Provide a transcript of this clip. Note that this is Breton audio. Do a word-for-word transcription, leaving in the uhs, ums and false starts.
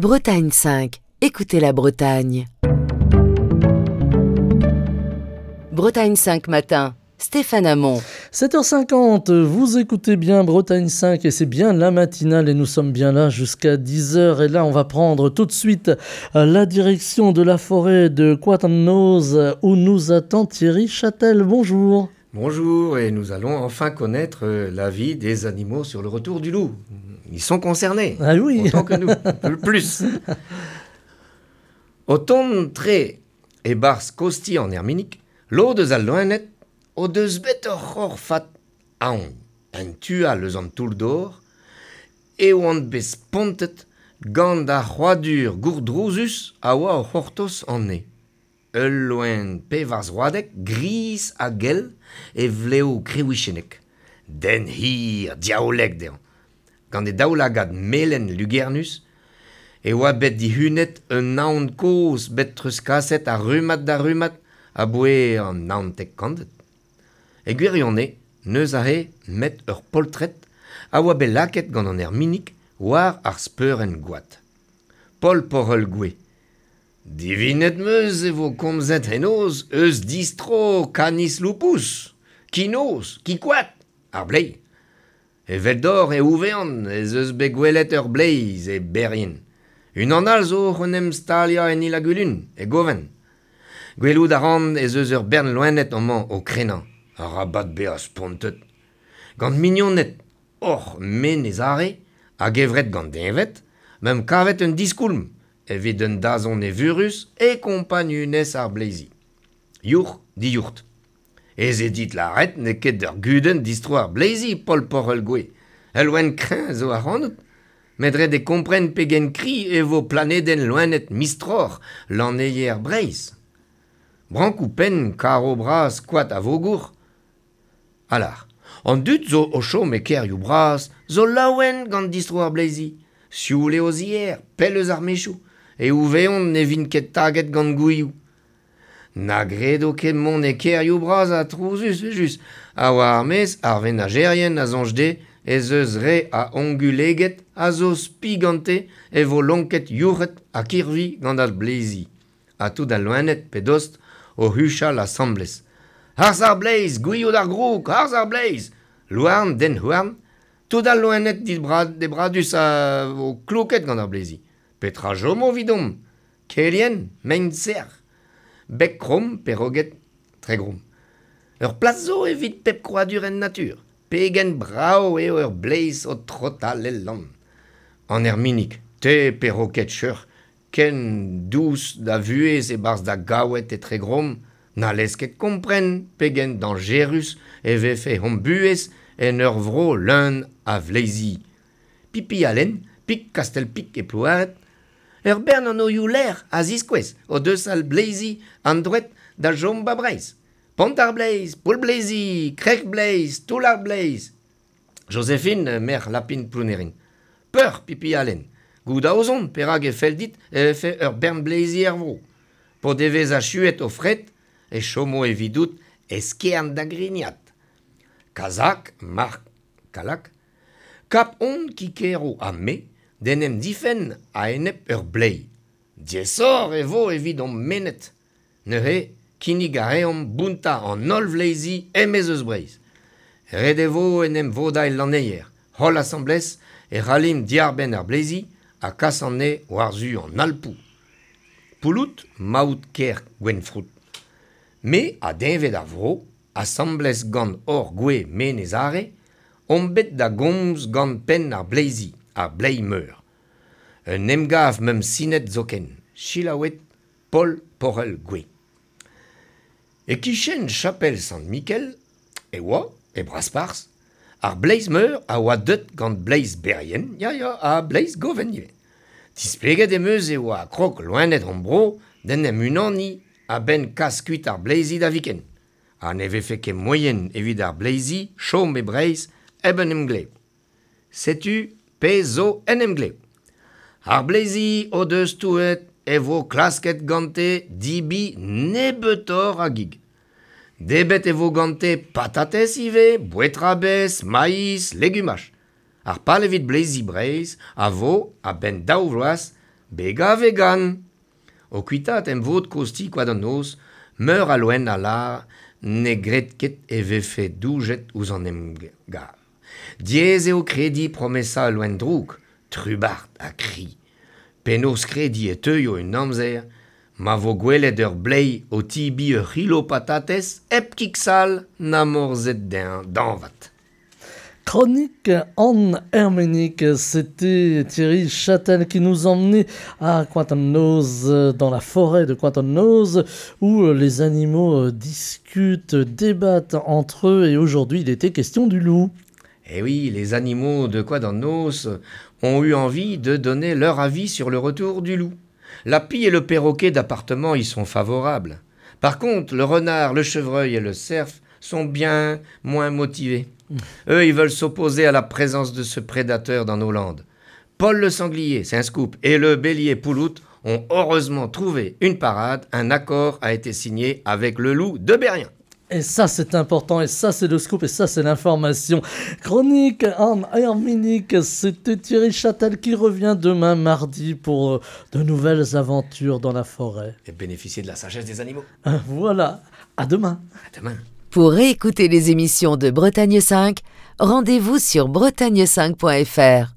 Bretagne cinq, écoutez la Bretagne. Bretagne cinq matin, Stéphane Hamon. sept heures cinquante, vous écoutez bien Bretagne cinq et c'est bien la matinale et nous sommes bien là jusqu'à dix heures. Et là, on va prendre tout de suite la direction de la forêt de Coat an Noz où nous attend Thierry Châtel. Bonjour. Bonjour, et nous allons enfin connaître la vie des animaux sur le retour du loup. Ils sont concernés, Ah oui. autant que nous, le plus. O tont tre e-barzh kozhti an Erminig, lod eus al loened o deus bet ur c'horfad aon. En tu all eus an toull-dor, e oant bet spontet gant ar c'hrouadur gourdrouzus a oa o c'hortoz anezhe. Ul loen pevarzroadek, gris ha gell, e vlev kreouichennek. Den hir, diaoulek dezhañ. Gant e daoulagad melen lugernus, e oa bet dihunet un aon kozh bet treuzkaset a rummad da rummad aboae an naontek kantved. E gwirionez, n'eus aze met ur poltred a oa bet lakaet gant an Erminig war ar speurenn goad. Paul Porel Goué. Divinet 'm eus e vo komzet henoz eus distro Canis lupus, ki noz, ki koad, ar bleiz. Eveldoc'h e ouvean ez eus bet gwelet ur bleiz e Berrien. Unan all zo oc'h en em staliañ en Il-ha-Gwilun, e Goven. Gwelout a ran ez eus ur bern loened amañ o krenañ, arabat bezañ spontet. Gant mignoned oc'h Menez Are hag evret gant deñved, 'meump kavet un diskoulm evit un dazont evurus e kompagnunezh ar bleizi. Yourc'h diourt. Ez eo dit lâret n'eo ket ur gudenn distro ar bleizi, Paul Porel Goué. Ul loen kreñv zo ac'hanout. Met ret eo kompren pegen kri e vo planedenn loened mistroc'h lanneier Breizh. Brankoù penn, karo bras, koad a vogour. Alar, an dud zo o chom e kêrioù bras zo laouen gant distro ar bleizi. Sioul eo o zier, pell eus ar mechoù, e ouveont ne vint ket taget gant gouilhoù. Na gredo ket mont e kêrioù bras ha trouzus just, ha war ar maez ar venajerien a soñj dezhe ez eus re a onguleged a zo spi gante e vo lonket yourc'hed ha kirvi gant ar bleizi. Ha tout al loened pe dost o huchal asambles. Harz ar bleiz, gouilhoù d'ar groug, harz ar bleiz! Louarn, den houarn, tout al loened debradus a vo kloket gant ar bleizi. Petra chomo 'vidomp? Kelien, mein sec'h, beg kromm, perroget, Tregrom. Ur plas zo evit pep krouadur en natur. Pegen brav eo ur bleiz o trotal el lann. An Erminig, te perroket cheuc'h, ken dous da vuhez e-barzh da gaoued e Tregrom, n'hallez ket kompren pegen dañjerus e vefe hon buhez en ur vro leun a vleizi. Pipi Alen, pik Kastel-Pik e Plouared, ur bern anvioù lec'h a ziskouez o deus al bleizi an droed da chom ba Breizh. Pont ar Bleiz, Poull Bleizi, Krec'h Bleiz, Toull ar Bleiz. Joséphine, merc'h Lapin Plounerin. Peur, Pipi Alen. Goût a ozon, perak e fell dit e vefe ur bern bleizi er vro. P'o devez achuet o fred, e chomo evidout eskern da grignat. Kazak, Marc Kalak, kap on ki kero ha me d'en em difenn a-enep ur bleiz. Diaesoc'h e vo evit hon mennet. Neuze, kinnig a reomp bountañ an holl vleizi e-maez eus Breizh. Ret e vo en em vodañ el lanneier. Holl asambles e c'hallimp diarbenn ar bleizi ha kas anezhe war-zu an Alpoù. Pouloud, maout kêr Gwenfroud. Me ha deñved ar vro, asambles gant hor gwez Menez Are, omp bet da gomz gant penn ar bleizi, ar bleiz meur. Un emgav 'meump sinet zoken, selaouet Paul Porel Goué. E-kichen chapel Sant-Mikel e oa, e Brasparzh, ar bleiz meur a oa deut gant bleiz Berrien, ya ya, ha bleiz Goven ivez. Displeget em eus e oa krog loened hon bro d'en em unaniñ a-benn kas kuit ar bleizi da viken. Ha ne vefe ket moaien evit ar bleizi chom e Breizh hep un emglev. Setu pezh zo en emglev. Ar bleizi o deus touet e vo klasket gante debriñ nebeutoc'h a gig. Debret e vo gante patatez ivez, bouetrabez, maiz, legumaj. Ar pal evit bleizi Breizh a vo, a-benn daou vloaz, Bega vegan. O kuitat em vod kosti koad an noz, meur a loen a la ne gret ket e vefe doujet ouzh an emgav. Diaes eo kredi promesa loen droug, trubard ha kri. Penaos kredi e teuio un amzer, ma vo gwelet ur bleiz o tibi ur c'hilo patatez hep kiksal na morzet dañvad. Chronique en Herménique, c'était Thierry Châtel qui nous emmenait à Coat-an-Noz, dans la forêt de Coat-an-Noz, où les animaux discutent, débattent entre eux, et aujourd'hui il était question du loup. Eh oui, les animaux de Coat-an-Noz ont eu envie de donner leur avis sur le retour du loup. La pie et le perroquet d'appartement y sont favorables. Par contre, le renard, le chevreuil et le cerf sont bien moins motivés. Eux, ils veulent s'opposer à la présence de ce prédateur dans nos landes. Paul le sanglier, c'est un scoop, et le bélier Pouloute ont heureusement trouvé une parade. Un accord a été signé avec le loup de Berrien. Et ça, c'est important, et ça, c'est le scoop, et ça, c'est l'information. Chronique en Herménique, c'était Thierry Châtel qui revient demain mardi pour de nouvelles aventures dans la forêt. Et bénéficier de la sagesse des animaux. Voilà, à demain. À demain. Pour réécouter les émissions de Bretagne cinq, rendez-vous sur bretagne cinq point F R.